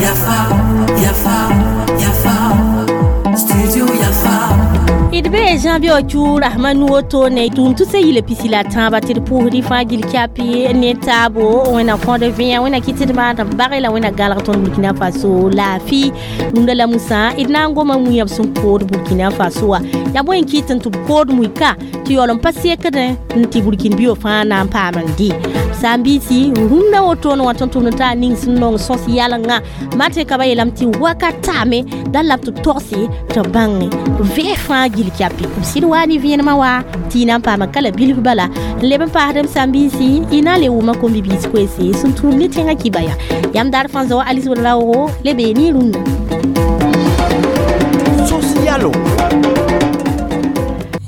Yafa, Yafa, Yafa, Studio Yafa. D bee Jean Bio Rahmanu woto ne tʋʋm tʋ sã yila pisi la tãabã tɩ d pʋʋsd fãa gil kyapi ne taabo. Wẽnna kõd vẽa, wẽnna kɩ tɩ d maan tɩ b bag la wẽnna galg tõnd Burkina Faso laafɩ. Rũndã la musã d na n goma mui b sẽn kood Burkina Faso wã. Yaa bõe n kɩt n tɩ b kood mui-ka tɩ yaool n pa sekdẽ n tɩ Burkin bio fãa na n paam n dɩ sãn-biisi rũndã wotone wã tʋm-tʋmd t'a ning sẽn nong sõs yalengã. Martin Kaba yeelame tɩ wakat taame da la b tɩ togse tɩ bãng vẽeg fãa gil kyapi b sɩd waa ne vẽenemã wa tɩ y na n paama ka la bilf bala n leb n paasdem sãn-biisi y na n le wʋma kom-bibiis koeese sẽn tũud ne tẽngã kiba ya yãmb daar fãa zao Alice Raogo le bee ne rũndã. Socialo.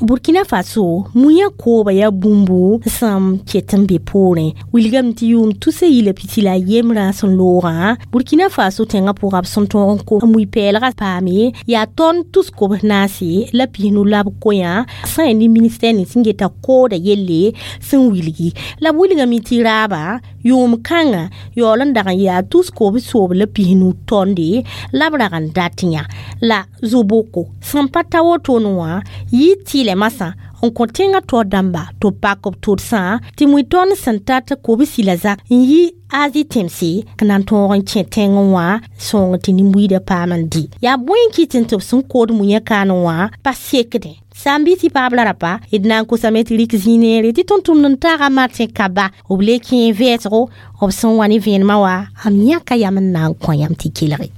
Burkina Faso mui kooba ya bũmbu sẽn ket n be poorẽ wilgame tɩ yʋʋm tusa yila pisi la yembrã sẽn loogã. Burkina Faso tẽngã pʋga b sẽn tõog n ko mui-pɛɛlgã paame yaa tõnd tus kobs naase la pisnu la b koyã sã ne ministɛr nins sẽn geta kooda yelle sẽn wilgi la b wilgame tɩ raaba yʋʋm kãngã yaool n dag n yaa tus kobs soob la pisnu tõnde la b rag n dat yã la zo-boko sẽn pa ta wotone wã yɩ tɩɩlɛ masã n kõ tẽngã taoor dãmba tɩ b pak b tʋdsã tɩ mui tõnd sẽn tat kobsi la zak n yi Azi tẽmse n na n tõog n kẽ tẽngẽ wã sõng tɩ nin-buiidã paam n dɩ. Yaa bõe n kɩt n tɩ b sẽn kood mui kaan wã pa sekdẽ. Sãn-biisã paab la rapa d na n kosame tɩ rɩk zĩig neere tɩ tʋm-tʋmd n taga Martin Kaba b le kẽ vɛɛsgo b sẽn wa ne vẽenemã wa am yãka yam n na n kõ yãmb tɩ kelge.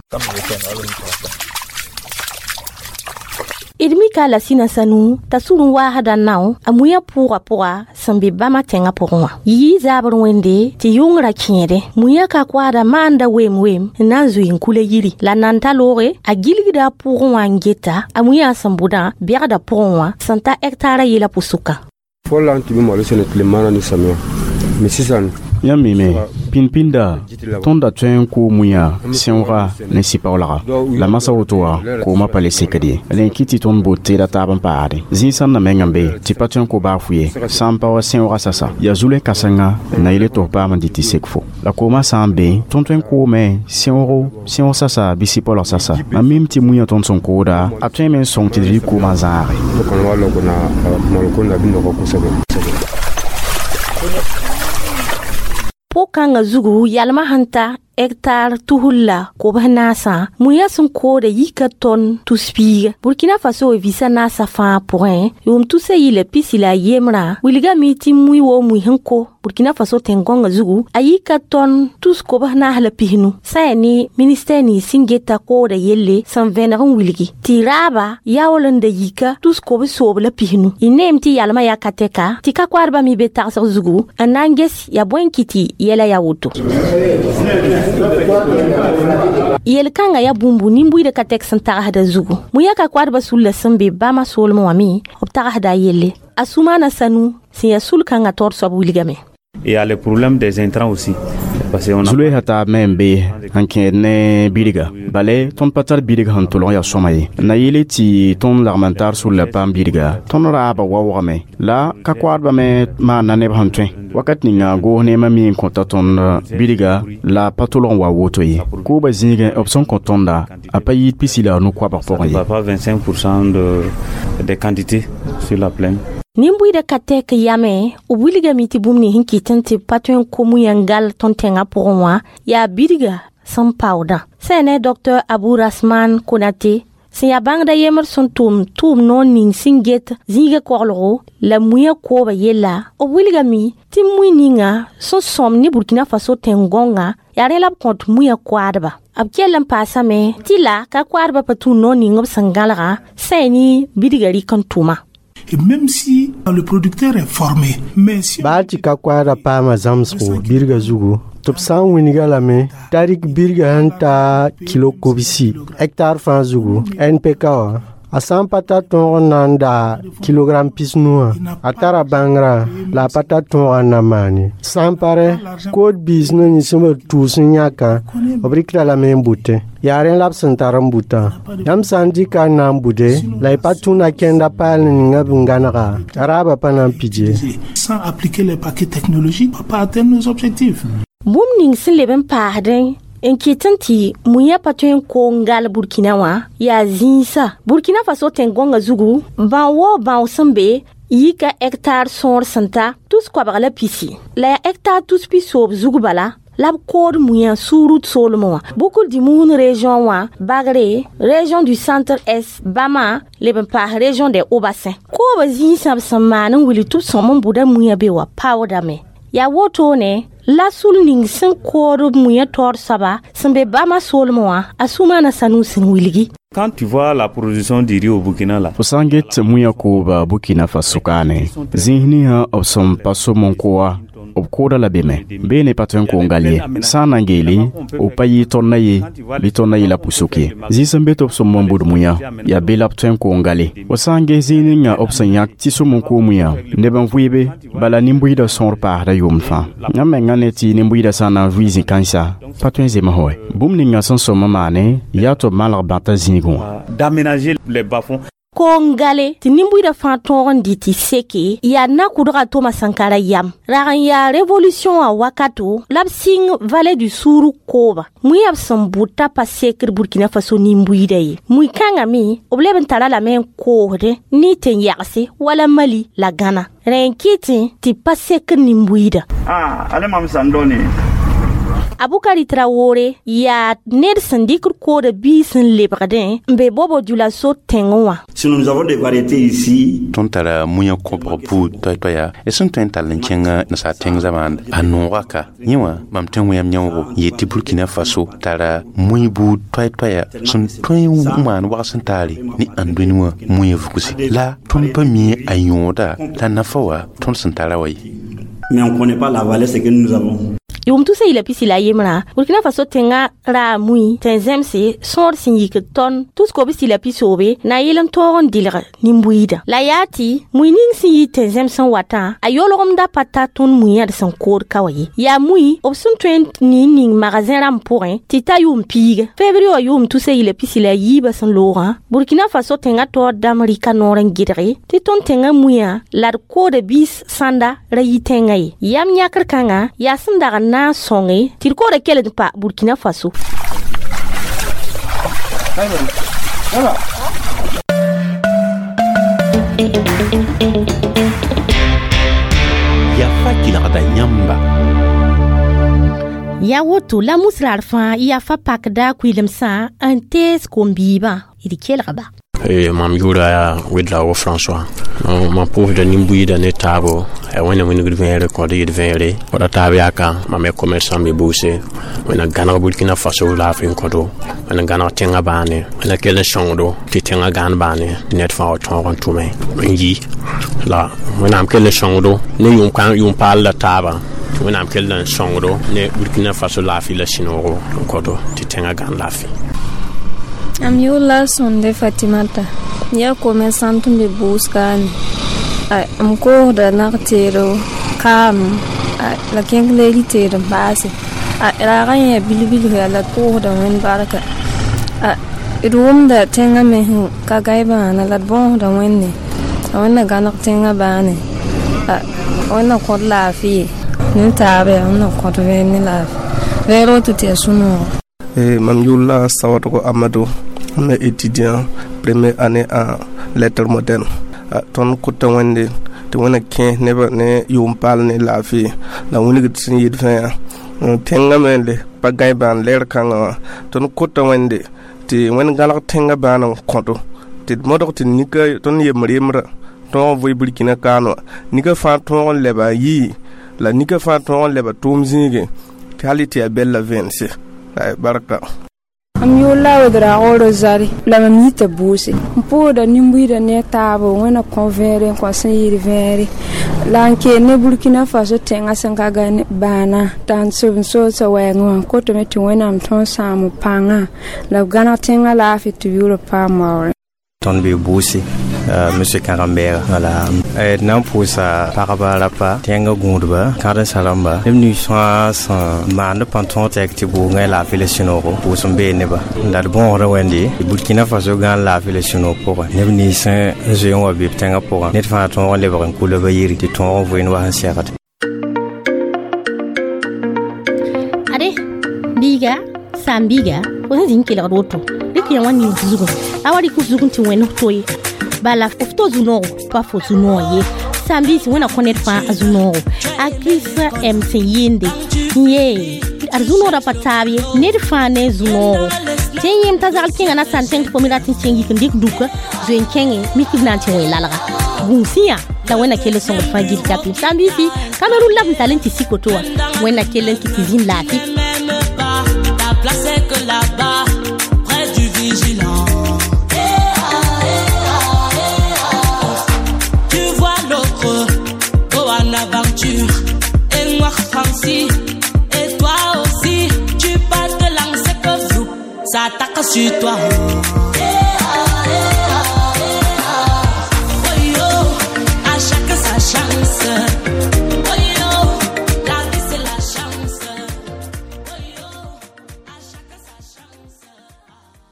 D mika la sĩna sanu t'a sũur n waasda nao a mui pʋʋgã pʋga sẽn be bãmba tẽngã pʋgẽ wã. Yɩ zaabr wẽnde tɩ yʋngrã kẽede mui ka koaada maanda wem wem n na n zoe n kula yiri la nan ta looge a gilgda a pʋgẽ wã n geta a mui sẽn bʋdã bɛgda pʋgẽ wã sẽn ta hectare yela pʋsʋka. Fɔlɔ la an tun bɛ malo sɛnɛ tilema na ni samiya mɛ sisan Yãmb mime pĩnd-pĩnda tõnd da tõe n koo mui-yã sẽooga ne sɩ-paoolga la masã woto wã koomã pa le sekd ye. Rẽ kɩ tɩ tõnd boot teeda taab n paade zĩig sẽn na meng n be tɩ pa tõe n ko baafʋ ye sã n pa wa sẽooga sasa yaa zulẽ kãsenga n na yele tɩ f paam n dɩ tɩ sek fo la koomã sã n be tõnd tõe n koome sẽoogo sẽoog sasa bɩ sɩ-paoolg sasa. Mam mim tɩ mui-yã tõnd sẽn kooda a tõeme n sõng tɩ d rɩ koomã zãage. Ne kɔni b'a lɔn ko na maloko in na a bɛ nɔgɔ kosɛbɛ. Pʋg-kãngã zugu yalmã sẽn ta hectare tusr la kobs naasã mui-yã sẽn kooda yika tõn tus piiga. Burkina Faso visa naasã fãa pʋgẽ yʋʋm tusa yila pisi la yembrã wilgame tɩ mui woo mui sẽn ko Burkina Faso tẽn-gõngã zugu a yika tõn tus kobs naas la pisnu sã yaa ne ministɛr nins sẽn geta kooda yelle sẽn vẽneg n wilgi tɩ raaba yaool n da yika tus kobs soob la pisnu. Y neem tɩ yalmã yaa ka tɛka tɩ ka koadbã me be tagsg zugu n na n ges yaa bõe n kɩ tɩ yɛla yaa woto. Yel-kãngã yaa bũmbu nin-buiidã ka tɛk sẽn tagsda zugu. Mui-yã ka koadbã sulla sẽn be bãmba soolmẽ wã me b tagsda a yelle. A Sumana Sanu sẽn yaa sul-kãngã taoor soab wilgame. Il y a le problème des intrants aussi. Parce qu'on a Zulesa taab me n be n kẽed ne bidga bale tõnd pa tar bidg sẽn tʋlg yaa sõma ye na yɩle tɩ tõnd lagm n tar sulla paam bidga tõnd raabã waoogame la ka koadbã me maanda neb sẽn tõe wakat ninga goos neemã mi n kõta tõnd bidga la pa tʋlg n wa woto ye. Koobã zĩigẽ b sẽn kõ tõnda a pa yɩɩd pisi la a nu-koabg pʋgẽ ye. Pas 25% des quantités sur la plaine. Nin-buiidã ka tɛk yame b wilgame tɩ bũmb nins sẽn kɩt n tɩ pa tõe n ko mui n gal tõnd tẽngã pʋgẽ wã yaa bidga sẽn paoodã. Sã ne Dr Abou Rasman Konate sẽn yaa bãngda yembr sẽn tʋm tʋʋm noor ning sẽn get zĩigã koglgo la mui-yã kooba yella b wilgame tɩ mui ninga sẽn sõm ne Burkina Faso tẽn-gõngã yaa rẽ la b kõt mui-yã koadba. B kell n paasame tɩ la ka koadbã pa tũ noor ning b sẽn gãlgã sã yaa ne bidgã rɩk n tʋma. Et même si le producteur est formé, mais si Baa tɩ ka koaada paama zãmsgo birga zugu tɩ b sã n wilga lame t'a rɩk birgã sẽn ta kilo kobsi hectare fãa zugu NPK wã A sã n pa tar tõog n na n daa kilogram 90 wã, a tara bãngrã la a pa tar tõogã n na n maan ye. Sã n pa rẽ, kood biis ne nins sẽn b tʋʋs n yãkã, b rɩkda lame n bʋtẽ. Yaa rẽ la b sẽn tar n bʋtã. Yãmb sã n dɩka n na n bʋde, la y pa tũna kẽnda paal ninga b n gãnega, a raabã pa na n pid ye. Sans appliquer les paquets technologiques, on ne peut pas atteindre nos objectifs. Bũmb ning sẽn leb n paasdẽ n kɩt n tɩ mui-yã pa tõe n koong gal Burkina wã yaa zĩisa. Burkina Faso tẽn-gõngã zugu, bão-waoog bão sẽn be yika hectare sõor sẽn ta 120 la yaa hectare 190 zug bala la b kood mui-yã Suurud soolmẽ wã. Boucle du Mouhoun région wã, Bagré, région du centre est, Bama, leb n paas région des Hauts-Bassins. Koobã zĩisã b sẽn maan n wilg tɩ b sõm n bʋda mui-yã be wã paoodame. Yaa wotone la sul ning sẽn kood mui-yã taoor soaba sẽn be Bama soolmẽ wã, a Sumana Sanu sẽn wilgi. Quand tu vois la production du riz au Burkina là, Fo sã n get mui-yã kooba Burkina Faso kaane, zĩis ninsã b sẽn pa som n koa, b kooda la beme. Beene pa tõe n koong gal ye. Sã n na n geele, b pa yɩ tõndã ye, bɩ tõndã yɩla pʋsok ye. Zĩis sẽn be tɩ b sõm n bʋd mui-yã, yaa be la b tõe n koong gale. Fo sã n ges zĩig ninga b sẽn yãk tɩ sõm n koog mui-yã, neb n vɩɩbe, bala nin-buiidã sõor paasda yʋʋmd fãa. Yãmb menga ne tɩ nin-buiidã sã n na n vɩ zĩ-kãensa, pa tõe n zems wɛ. Bũmb ninga sẽn sõm n maane, yaa tɩ b malg bãta zĩigẽ wã. D'aménager les bas-fonds. Koong gale tɩ nin-buiidã fãa tõog n dɩ tɩ seke yaa na-kʋdga Toma Sankara yam. Rag n yaa révolution wã wakato la b sɩng vallée du Sourou kooba. Mui-yã b sẽn bʋta pa sekr Burkina Faso nin-buiidã ye. Mui-kãngã me b leb n tara lame n koosdẽ ne tẽn-yagse wala Mali la Gãna. Rẽ n kɩtẽ tɩ pa sekr nin-buiidã. Ah, ale mam sãn dõne. Abukari Traore yaa ned sẽn dɩkd koodã biis n lebgdẽ n be Bobo Dioulasso tẽngẽ wã. Si nous avons des variétés ici, Tõnd tara mui-yã kõbg buud toay-toaya d sẽn tõe n tall n kẽngã nasaar tẽng zamaanda a nooga ka yẽ wã mam tõe n wẽyam yãoogo yet tɩ Burkina Faso tara mui buud toay-toaya sẽn tõe n maan wags n taare ne ãn-dũni wã mui-yã vugse la tõnd pa mi a yõoda la nafa wã tõnd sẽn tara wa ye. Mais on ne connaît pas la valeur ce que nous avons. Yʋʋm tusa yila pisi la yembrã, Burkina Faso tẽngã raa mui tẽn-zẽmse sõor sẽn yikd tõn 123 na yɩl n tõog n dɩlg nin-buiidã. La yaa tɩ mui ning sẽn yɩ tẽn-zẽms n watã, a yolgemda pa ta tõnd mui-yã d sẽn kood ka wa ye. Yaa mui b sẽn tõe n nin ning magasin rãmb pʋgẽ tɩ ta yʋʋm piiga. Février wã yʋʋm tusa yila pisi la yiibã sẽn loogã, Burkina Faso tẽngã taoor dãmb rɩka noor n gɩdge tɩ tõnd tẽngã mui-yã la d kooda biis sãnda ra yi tẽngã ye. Yam yãkr kãngã yaa sẽn dag n na n sõnge tɩ d kooda kell n pa Burkina Faso. Yafa kelgda yãmba. Yaa woto la musrar fãa yafa pakda kʋɩlemsã n tees kom-biibã d kelgba. Mam yʋʋra yaa Ouédraogo François. Mam pʋʋsda nin-buiidã ne taabo a wẽnna wĩnigd vẽere kõd yɩd vẽere wala taab yaaka mam ya commerçant me buuse wẽnna gãneg Burkina Faso laafɩ n kõdo wẽnna gãneg tẽngã baane wẽnna kell n sõngdo tɩ tẽngã gãan baane ned fãa wa tõog n tʋme n yi la wẽnnaam kell n sõngdo ne yʋʋm paal la taabã tɩ wẽnnaam kell n sõngdo ne Burkina Faso laafɩ la sũ-noogo n kõdo tɩ tẽngã gãan laafɩ. Am yʋʋr Sonde Fatimata yaa commerçant n be buus kaane m koosda nag-teedo kaam la kẽnkleeri teed n paase raagã yẽ bil-bilf yaa la d pʋʋsda wẽnd barka d wʋmda tẽngã me sẽn ka gai bãana la d bõosda wẽnde a wẽnna gãneg tẽngã bãane wẽnna kõt laafɩ ye ne taaba yaa wẽnna kõt vẽer ne laafɩ vẽer woto tɩ yaa sũ-noogo. Mam yʋʋr la Sawadogo Amadou, m est étudiant première année en lettres modernes. Tõnd kota wẽnde tɩ wẽnna kẽes nebã ne yʋʋm paal ne laafɩ la wĩnigd sẽn yɩd fãa tẽngã me le pa gãe bãan lɛɛr kãngã wã tõnd kota wẽnde tɩ wẽnd gãlg tẽngã bãan n kõto tɩ d modg tɩ nika tõnd yembr yembrã tõog n vʋɩ Burkina kaan wã nika fãa tõog n lɛba n yii la nika fãa tõog n lɛba tʋʋm zĩigẽ tɩ hal tɩ yaa bɛl la vẽense barka. Mam yʋʋr la Ouédraogo Rosarie la mam yita buuse n pʋʋsda nin-buiidã ne taabo wẽnna kõ vẽere n kõ sẽn yɩɩd vẽere la n keel ne Burkina Faso tẽngã sẽn ka gai bãana t'a n sob n soolsa wɛɛngẽ wã n kotame tɩ wẽnnaam tõog sãam b pãngã la b gãneg tẽngã laafɩ tɩ b yʋʋr paam waoore. Tõnd be bʋʋse, monsieur Kãrembɛɛga, wala d na n pʋʋsa pagba rapa tẽngã gũudba kãdensã rãmba neb nins fãa sẽn maand pãn tõog tɛk tɩ bʋʋngã laafɩ la sũ-noogo pʋʋs n bee neba la d bõosdã wẽnde Burkina Faso gãan laafɩ la sũ-noog pʋgẽ neb nins n zoe n wa be b tẽngã pʋgã ned fãa tõog n lebg n kula ba yiri tɩ tõog n voen wa sẽn segd. Ade biiga saam biiga fo sẽn zĩng kelgd woto rɩk yã wã ning zugẽ a wa rɩk f zugẽ tɩ wẽnd f to ye bala f to zu-noogo pa fo zu-noog ye saam-biis wẽna kõ ned fãa a zu-noogo a Kirist m sẽn yɩɩnde n yee ad zu-noodã pa taab ye ned fãa ne zu-noogo tɩ n yẽem t'a zagl kẽngã na sãn tẽng tɩ fo me rat n kẽng yik n dɩk duka zoe n kẽngẽ mik b na n tɩ wẽ lalga gũusẽ la wẽnna kell n sõngd fãa gil kapim saam-biisi Cameroun la b n tall n tɩ sik woto wã wẽnna kell n kɩ tɩ zĩnd laafɩ. Ta place est que là-bas, près du vigilant. Tu vois l'autre go en aventure, et moi Francis, et toi aussi, tu parles de langue, c'est que fou, ça attaque sur toi.